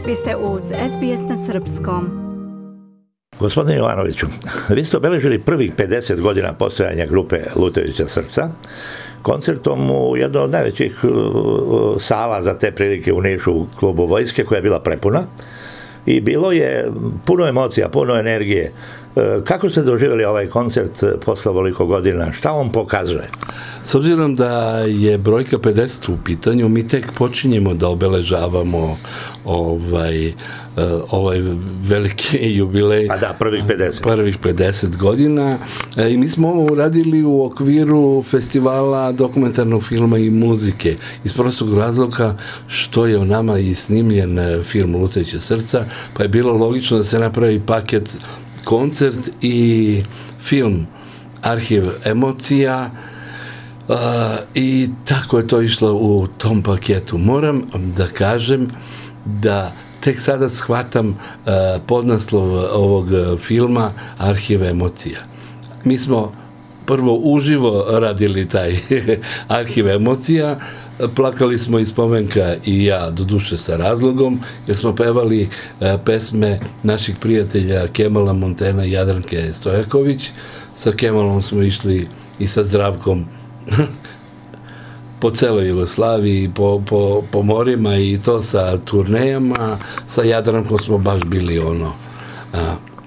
Vi ste uz SBS na srpskom. Gospodine Jovanoviću, vi ste obeležili prvih 50 godina postojanja grupe Lutajuća srca koncertom u jednoj od najvećih sala za te prilike u Nišu, u klubu Vojske, koja je bila prepuna. I bilo je puno emocija, puno energije. Kako ste doživjeli ovaj koncert posle ovoliko godina? Šta on pokazuje? S obzirom da je brojka 50 u pitanju, mi tek počinjemo da obeležavamo ovaj veliki jubilej. A da, prvih 50. Prvih 50 godina. I mi smo ovo uradili u okviru festivala dokumentarnog filma i muzike. Iz prostog razloga što je o nama i snimljen film Lutajuća srca, pa je bilo logično da se napravi paket koncert i film Arhiv emocija i tako je to išlo u tom paketu. Moram da kažem da tek sada shvatam podnaslov ovog filma Arhiv emocija. Mi smo prvo uživo radili taj Arhiv emocija, plakali smo i Spomenka i ja, doduše sa razlogom, jer smo pevali pesme naših prijatelja Kemala Montena i Jadranke Stojaković. Sa Kemalom smo išli i sa Zdravkom po celoj Jugoslaviji, po morima i to sa turnejama. Sa Jadrankom smo baš bili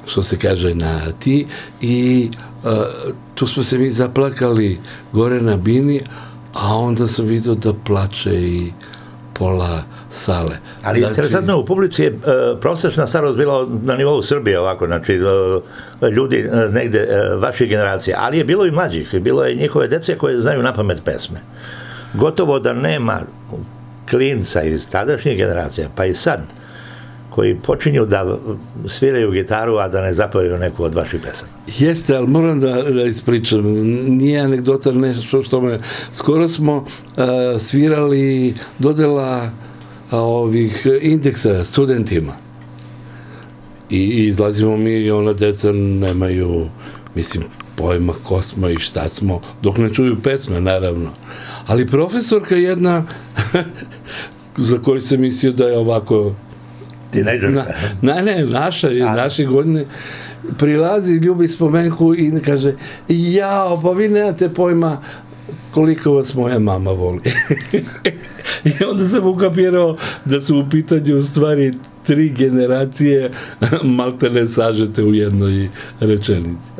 što se kaže na ti, i tu smo se mi zaplakali gore na bini, a onda sam vidio da plače i pola sale. Ali interesantno, u publici je prosečna starost bila na nivou Srbije ovako, znači ljudi negde vaše generacije, ali je bilo i mlađih, bilo je njihove dece koje znaju napamet pesme. Gotovo da nema klinca iz tadašnjih generacija, pa i sad, koji počinju da sviraju gitaru, a da ne zapevaju neku od vaših pesama. Jeste, ali moram da ispričam. Nije anegdota nešto što me... Skoro smo svirali dodela ovih indeksa studentima. I izlazimo mi i ona deca nemaju, mislim, pojma ko smo i šta smo, dok ne čuju pesme, naravno. Ali profesorka jedna, za koju sam mislio da je ovako... naše godine, prilazi, ljubi Spomenku i kaže, jao, pa vi nemate pojma koliko vas moja mama voli. I onda sam ukapirao da su u pitanju u stvari 3 generacije maltene sažete u jednoj rečenici.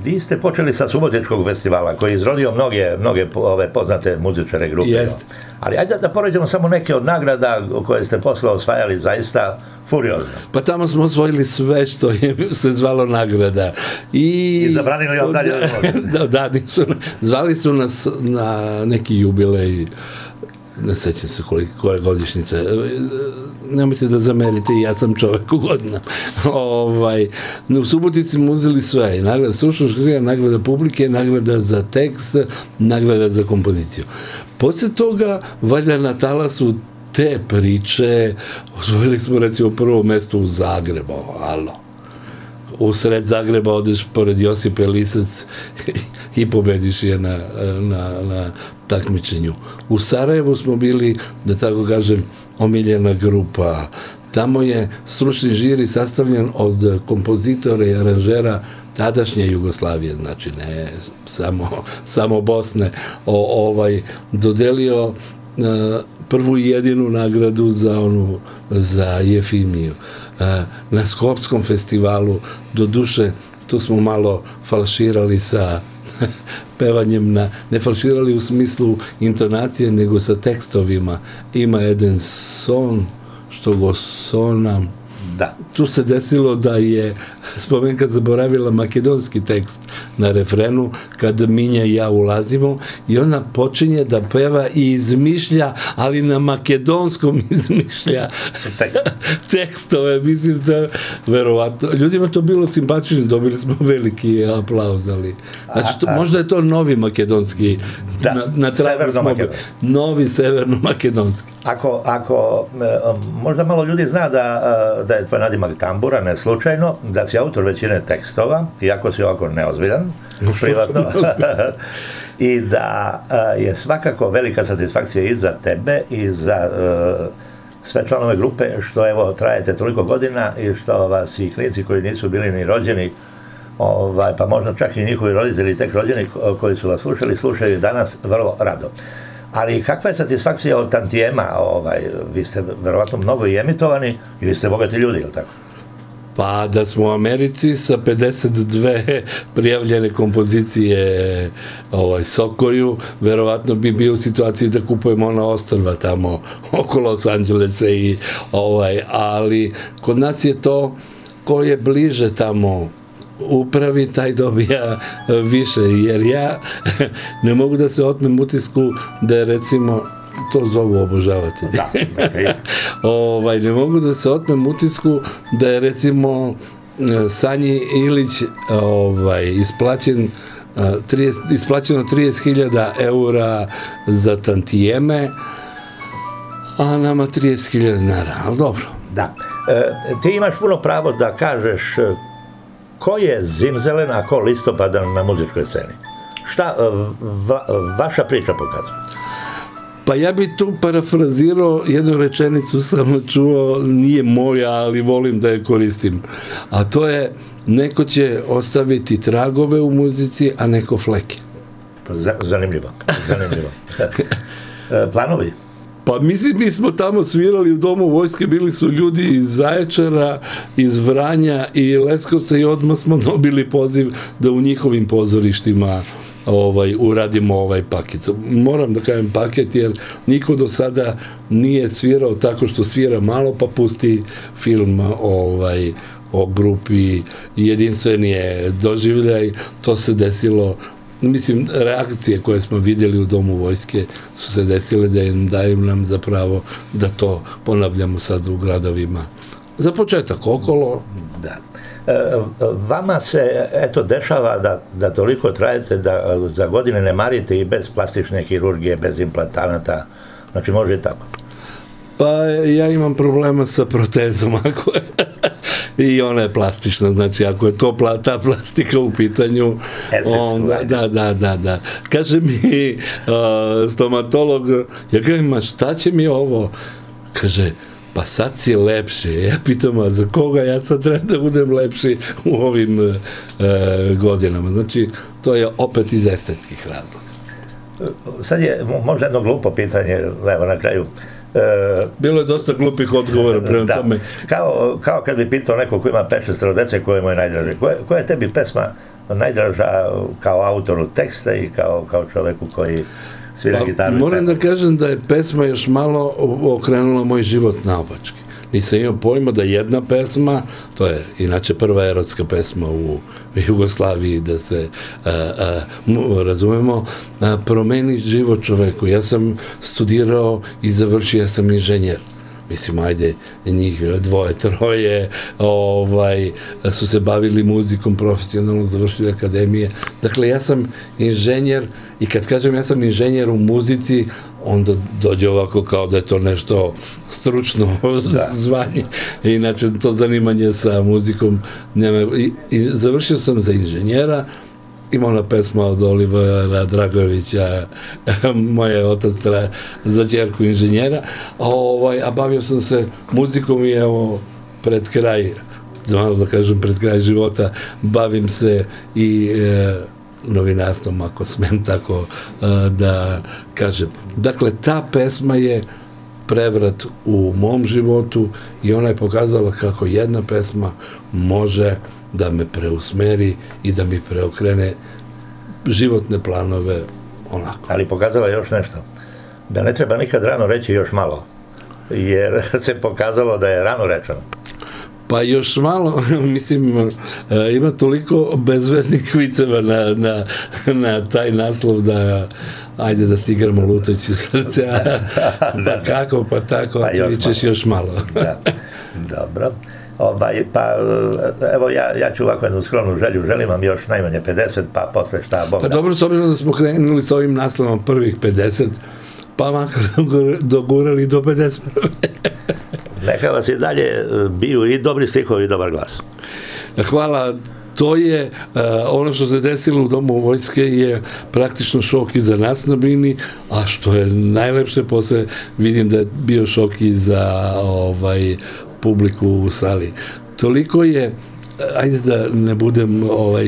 Vi ste počeli sa Subotičkog festivala, koji je izrodio mnoge ove poznate muzičare grupe. Jest. Ali ajde da poređemo samo neke od nagrada koje ste posle osvajali zaista furiozno. Pa tamo smo osvojili sve što je se zvalo nagrada. I zabranili vam dalje da, zvali su nas na neki jubilej, ne sećam se koja godišnjica, nemojte da zamerite, ja sam čovek u godinama. U Subotici smo uzeli sve, nagrada stručnog žirija, nagrada publike, nagrada za tekst, nagrada za kompoziciju. Posle toga, valjda na talasu te priče, osvojili smo recimo prvo mesto u Zagrebu, u sred Zagreba odeš pored Josipe Lisac i pobediš je na takmičenju. U Sarajevu smo bili, da tako kažem, omiljena grupa. Tamo je stručni žiri sastavljen od kompozitora i aranžera tadašnje Jugoslavije, znači ne samo Bosne, dodelio prvu i jedinu nagradu za Jefimiju. Na Skopskom festivalu, doduše, tu smo malo falširali sa pevanjem, ne falširali u smislu intonacije, nego sa tekstovima. Ima jedan son, što go sonam. Da. Tu se desilo da je Spomenka zaboravila makedonski tekst na refrenu, kada Minja i ja ulazimo, i ona počinje da peva i izmišlja, ali na makedonskom izmišlja tekstove. Mislim da verovatno ljudima to bilo simpatično, dobili smo veliki aplauz, ali znači, možda je to novi makedonski, na tragu smo novi severno-makedonski. Ako možda malo ljudi zna da je tvoj nadimak Tambura, ne slučajno, da si autor većine tekstova, iako si ovako neozbiljan, privatno, i da je svakako velika satisfakcija i za tebe i za sve članove grupe, što evo trajete toliko godina i što vas i klinici koji nisu bili ni rođeni, pa možda čak i njihovi roditelji tek rođeni koji su vas slušaju danas vrlo rado. Ali kakva je satisfakcija od tantijema? Vi ste verovatno mnogo i emitovani i vi ste bogati ljudi, je li tako? Pa da smo u Americi sa 52 prijavljene kompozicije Sokoju, verovatno bi bio u situaciji da kupujemo ona ostrva tamo oko Los Angelesa ali kod nas je to ko je bliže tamo upravi, taj dobija više, jer ja ne mogu da se otmem utisku da je recimo to zovu obožavatelji. Da, okay. Ne mogu da se otmem utisku da je recimo Sanji Ilić isplaćeno 30.000 eura za tantijeme, a nama 30.000 dinara, ali dobro. Da. Ti imaš puno pravo da kažeš ko je zimzelen, a ko listopadan na muzičkoj sceni. Šta vaša priča pokazuje? Pa ja bi tu parafrazirao jednu rečenicu, sam čuo, nije moja, ali volim da je koristim. A to je, neko će ostaviti tragove u muzici, a neko fleke. Zanimljivo. Planovi? Pa mislim, mi smo tamo svirali u Domu vojske, bili su ljudi iz Zaječara, iz Vranja i Leskovca i odmah smo dobili poziv da u njihovim pozorištima uradimo ovaj paket. Moram da kažem paket, jer niko do sada nije svirao tako što svira malo pa pusti film o grupi. Jedinstveni je doživljaj, to se desilo. Mislim, reakcije koje smo vidjeli u Domu vojske su se desile da daju nam zapravo da to ponavljamo sad u gradovima. Za početak okolo. Da. Vama se, dešava da toliko trajete da za godine ne marite i bez plastične hirurgije, bez implantanata, znači može i tako. Pa ja imam problema sa protezom, ako je i ona je plastična, znači ako je to ta plastika u pitanju, onda, da. Kaže mi stomatolog, ja kažem, šta će mi ovo? Kaže, pa sad si lepši. Ja pitam, a za koga ja sad treba da budem lepši u ovim godinama? Znači, to je opet iz estetskih razloga. Sad je možda jedno glupo pitanje, evo na kraju. Bilo je dosta glupih odgovora prema tome. Kao kad bi pitao neko ko ima 5-6 dece, koje mu je najdraže. Koja je tebi pesma najdraža kao autoru teksta i kao čoveku koji svira gitaru? Moram da kažem da je pesma još malo okrenula moj život naopačke. Nisam imao pojma da jedna pesma, to je inače prva erotska pesma u Jugoslaviji, da se razumemo, promeni život čoveku. Ja sam studirao i završio, ja sam inženjer. Mislim, ajde, njih 2-3 su se bavili muzikom, profesionalno završili akademije. Dakle, ja sam inženjer i kad kažem ja sam inženjer u muzici, onda dođe ovako kao da je to nešto stručno zvanje. Inače, to zanimanje sa muzikom nema. I završio sam za inženjera. Ima ona pesma od Olivera Dragovića, moj je otac za ćerku inženjera, a bavio sam se muzikom i evo pred kraj, malo da kažem pred kraj života, bavim se i novinarstvom, ako smem tako da kažem. Dakle, ta pesma je prevrat u mom životu i ona je pokazala kako jedna pesma može da me preusmeri i da mi preokrene životne planove onako. Ali pokazala još nešto, da ne treba nikad rano reći još malo, jer se pokazalo da je rano rečeno. Pa još malo, mislim, ima toliko bezveznih viceva na taj naslov da ajde da si igramo lutajući srce, pa kako, pa tako, a ti vičeš još malo. Dobro. Pa evo ja ću ovako jednu skromnu želju, želim vam još najmanje 50, pa posle šta Bog da. Pa dobro, s obzirom da smo krenuli s ovim naslovom prvih 50, pa makar dogurali do 50. Neka vas i dalje biju i dobri stihovi i dobar glas. Hvala to je ono što se desilo u Domu vojske je praktično šok i za nas na bini, a što je najlepše, posle vidim da je bio šok i za publiku u sali. Toliko je, ajde da ne budem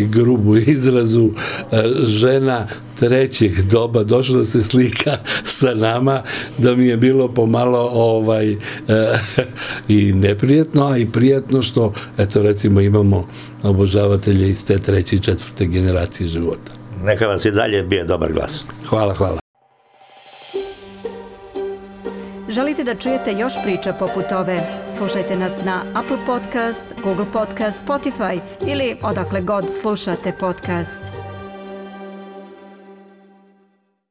grubu izrazu, žena trećeg doba došla da se slika sa nama, da mi je bilo pomalo i neprijetno, a i prijatno što, eto recimo, imamo obožavatelje iz te treće i četvrte generacije života. Neka vas i dalje bije dobar glas. Hvala, hvala. Želite da čujete još priča poput ove? Slušajte nas na Apple Podcast, Google Podcast, Spotify ili odakle god slušate podcast.